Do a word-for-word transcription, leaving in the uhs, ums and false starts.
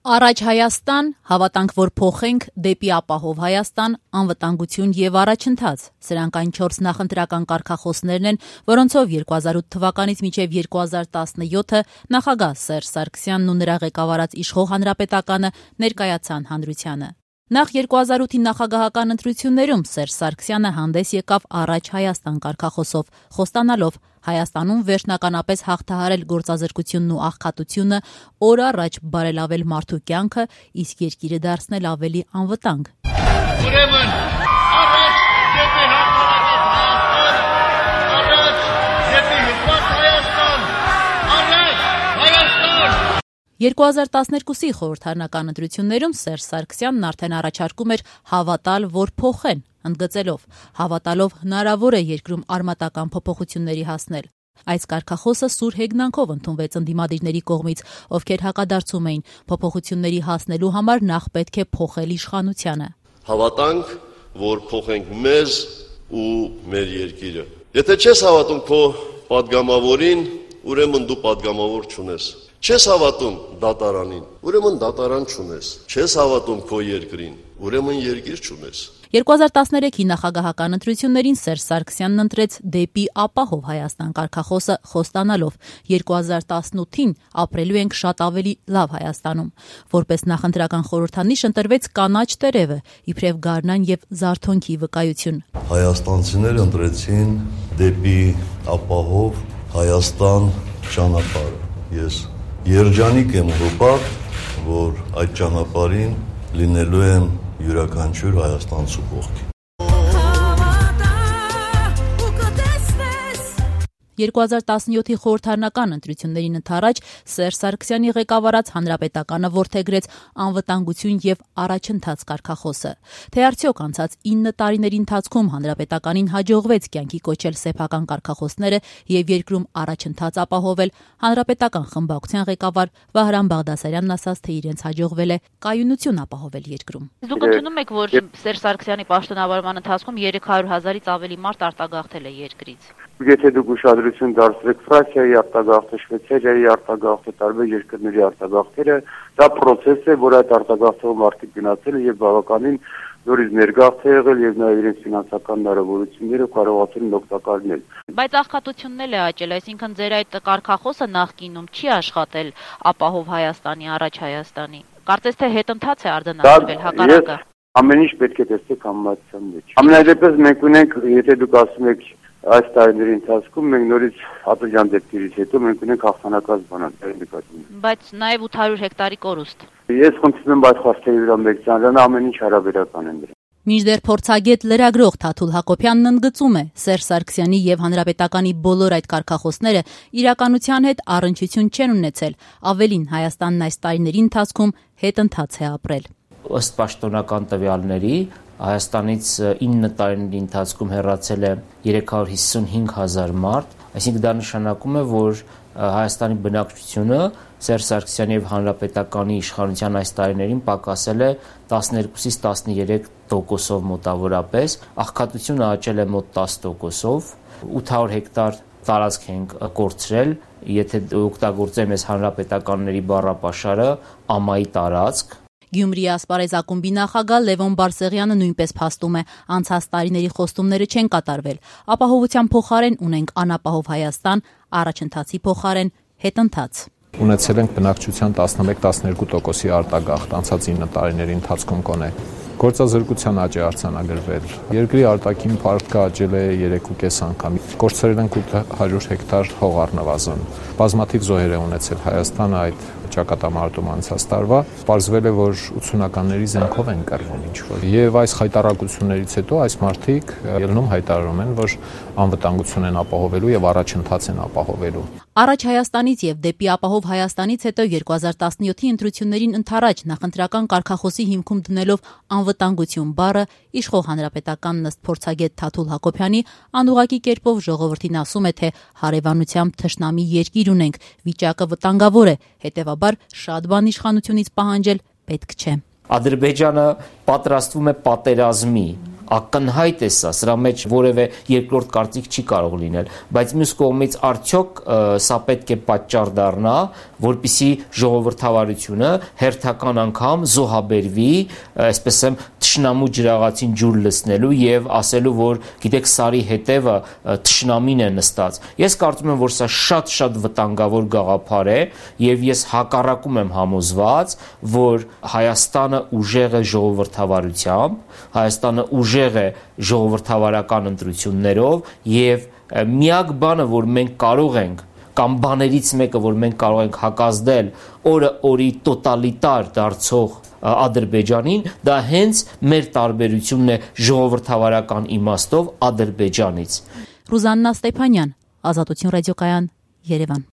Առաջ Հայաստան, հավատանք, որ փոխենք, դեպի ապահով Հայաստան, անվտանգություն եւ առաջընթաց։ Սրանք այն չորս նախընտրական կարգախոսներն են, որոնցով երկու հազար ութ թվականից մինչև երկու հազար տասնյոթը նախագահ Սերժ Սարգսյանն ու նրա ղեկավարած իշխող հանրապետականը ներկայացան հանրությանը։ Նախ երկու հազար ութի նախագահական ընտրություններում Սերժ Սարգսյանը հանդես եկավ Առաջ Հայաստան կարգախոսով, խոստանալով Հայաստանում վերջնականապես հաղթահարել գործազրկությունն ու աղքատությունը, օր առաջ բարելավել մարդու կյանքը, իսկ երկիրը դարձնել ավելի անվտանգ։ Ուրեմն, առաջ դեպի հաղթահարված Հայաստան, առաջ դեպի հպարտ Հայաստան, առաջ Հայաստան։ երկու հազար տասներկուսի խորհրդարանական ընտրություններում Սերժ Սարգսյանն արդեն առաջարկում էր հավատալ, որ փոխեն, ընդգծելով, հավատալով հնարավոր է երկրում արմատական փոփոխությունների հասնել։ Այս կարգախոսը սուր հեգնանքով ընդունվեց ընդդիմադիրների կողմից, ովքեր հակադարձում էին փոփոխությունների հասնելու համար նախ պետք է փոխել իշխանությանը։ Հավատանք, որ փոխենք մեզ ու մեր երկիրը։ Եթե չես հավատում քո պատգամավորին, ուրեմն դու պատգամավոր չունես։ Չես հավատում դատարանին, ուրեմն դատարան չունես։ Չես հավատում քո երկրին, ուրեմն երկիր չունես։ երկու հազար տասներեքի նախագահական ընտրություններին Սերժ Սարգսյանն ընտրեց դեպի ապահով Հայաստան կարգախոսը, խոստանալով երկու հազար տասնութին ապրելու ենք շատ ավելի լավ Հայաստանում։ Որպես նախընտրական խորհրդանիշ ընտրվեց կանաչ տերևը, իբրև գարնան եւ զարթոնքի վկայություն։ Հայաստանցիները ընտրեցին դեպի ապահով Հայաստան ճանապարհը։ Ես երջանիկ եմ հպարտ, որ այդ ճանապարհին լինելու եմ յուրաքանչյուր հայաստանցու կողքին։ երկու հազար տասնյոթի խորհրդարանական ընտրություններին ընդառաջ Սերժ Սարգսյանի ղեկավարած հանրապետականը որդեգրեց անվտանգություն եւ առաջընթաց կարգախոսը։ Թե արդյոք անցած ինը տարիների ընթացքում հանրապետականին հաջողվեց կյանքի կոչել սեփական կարգախոսները եւ երկրում առաջընթաց ապահովել, հանրապետական խմբակցության ղեկավար Վահրամ Բաղդասարյանն ասաց, թե իրենց հաջողվել է կայունություն ապահովել երկրում։ Դուք ընդունում եք, որ Սերժ Սարգսյանի պաշտոնավարման ընթացքում երեք հարյուր հազարից ավելի մարդ արտագաղթել է երկրից։ Եթե դուք ուշադրություն դարձրեք Ֆրանսիայի արտագաղթը, Շվեյցարիայի արտագաղթը, տարբեր երկրների արտագաղթերը, դա process է, որ այդ արտագաղթող մարդիկ գնացել են եւ բավականին նորից ներգաղթ է եղել եւ նաեւ իրենց ֆինանսական հնարավորությունները կարողացել են օգտակար լինել։ Բայց աղքատությունն էլ է աճել, այսինքն ձեր այդ կարգախոսը նախկինում չի աշխատել ապահով Հայաստանի, Առաջ Հայաստանի։ Կարծես թե հետընթաց է արձանագրվել հակառակը։ Ամեն ինչ պետք է տեսեք համեմատության մեջ։ Ամենայդեպս մենք ունենք, եթե դուք ասում եք այս տարիների ընթացքում մենք նորից ատոջան դեպքերից հետո մենք ունենք հաղթանակած բանալի նկատում։ Բայց նաև ութ հարյուր հեկտարի կորուստ։ Ես խնդրում եմ այդ խոսքերի վրա մեկ ծանոթանալ, ամեն ինչ հարաբերական են դրա։ Մինչդեռ փորձագետ լրագրող Թաթուլ Հակոբյանն ընդգծում է, Սերժ Սարգսյանի եւ հանրապետականի բոլոր այդ կարգախոսները իրականության հետ առնչություն չեն ունեցել, ավելին Հայաստանն այս տարիների ընթացքում հետընթաց է ապրել։ Ըստ պաշտոնական տվյալների Հայաստանից ինը տարիների ընթացքում հեռացել է երեք հարյուր հիսունհինգ հազար մարդ, այսինքն դա նշանակում է, որ Հայաստանի բնակչությունը Սերժ Սարգսյանի եւ հանրապետականի իշխանության այս տարիներին պակասել է տասներկուսից տասներեք տոկոսով մոտավորապես, աղքատությունը աճել է մոտ տասը տոկոսով, ութ հարյուր հեկտար տարածք ենք կորցրել, եթե օգտագործեմ այս հանրապետականների բառապաշարը, ամայի տարածք։ Գյումրիի ասպարեզ ակումբի նախագահ Լևոն Բարսեղյանը նույնպես փաստում է, անցած տարիների խոստումները չեն կատարվել, ապահովության փոխարեն ունենք անապահով Հայաստան, առաջընթացի փոխարեն հետընթաց։ Ունեցել ենք բնակչության տասնմեկ տասներկու տոկոսի արտագաղթ անցած ինը տարիների ընթացքում կոնե։ Գործազրկության աճ է արձանագրվել։ Երկրի արտաքին փառքը աճել է երեք ու կես անգամ։ Կորցրել ենք ութ հարյուր հեկտար հող առնվազն։ Բազմաթիվ զոհեր է ունեցել Հայաստանը այդ ճակատամարտում անցած տարվա, պարզվել է, որ ութսունականների զենքով են կռվում ինչ-որ։ Եվ այս հայտարարություններից հետո այս մարդիկ ելնում հայտարարում են, որ անվտանգություն են ապահովելու եւ առաջընթաց են ապահովելու։ Առաջ Հայաստանից եւ դեպի ապահով Հայաստանից հետո երկու հազար տասնյոթի ընտրություններին ընդառաջ նախընտրական կարգախոսի հիմքում դնելով անվտանգություն բառը իշխող հանրապետականն ըստ փորձագետ Թաթուլ Հակոբյանի անուղղակի կերպով ժողովրդին ասում է, թե հարևանությամբ թշնամի երկիր ունենք, վիճակը վտանգավոր է, հետեւաբար շատ բան իշխանությունից պահանջել պետք չէ։ Ադրբեջանը պատրաստվում է պատերազմի, ակնհայտ է սա, սրա մեջ որևէ երկրորդ կարծիք չի կարող լինել, բայց մյուս կողմից արդյոք սա պետք է պատճառ դառնա, որպեսզի ժողովրդավարությունը հերթական անգամ զոհաբերվի, այսպես եմ, թշնամու ջրաղացին ջուր լցնելու եւ ասելու, որ գիտեք սարի հետևը թշնամին է նստած։ Ես կարծում եմ, որ սա շատ-շատ վտանգավոր գաղափար է եւ ես հակառակում եմ համոզված, որ Հայաստանը ուժեղ է ժողովրդավարությամբ, Հայաստանը ուժեղ է ժողովրդավարական ընտրություններով եւ միակ բանը, որ մենք կարող ենք կամ բաներից մեկը, որ մենք կարող ենք հակազդել օրը օրի տոտալիտար դարձող Ադրբեջանին, դա հենց մեր տարբերությունն է ժողովրդավարական իմաստով Ադրբեջանից։ Ռուզաննա Ստեփանյան, Ազատություն ռադիոկայան, Երևան։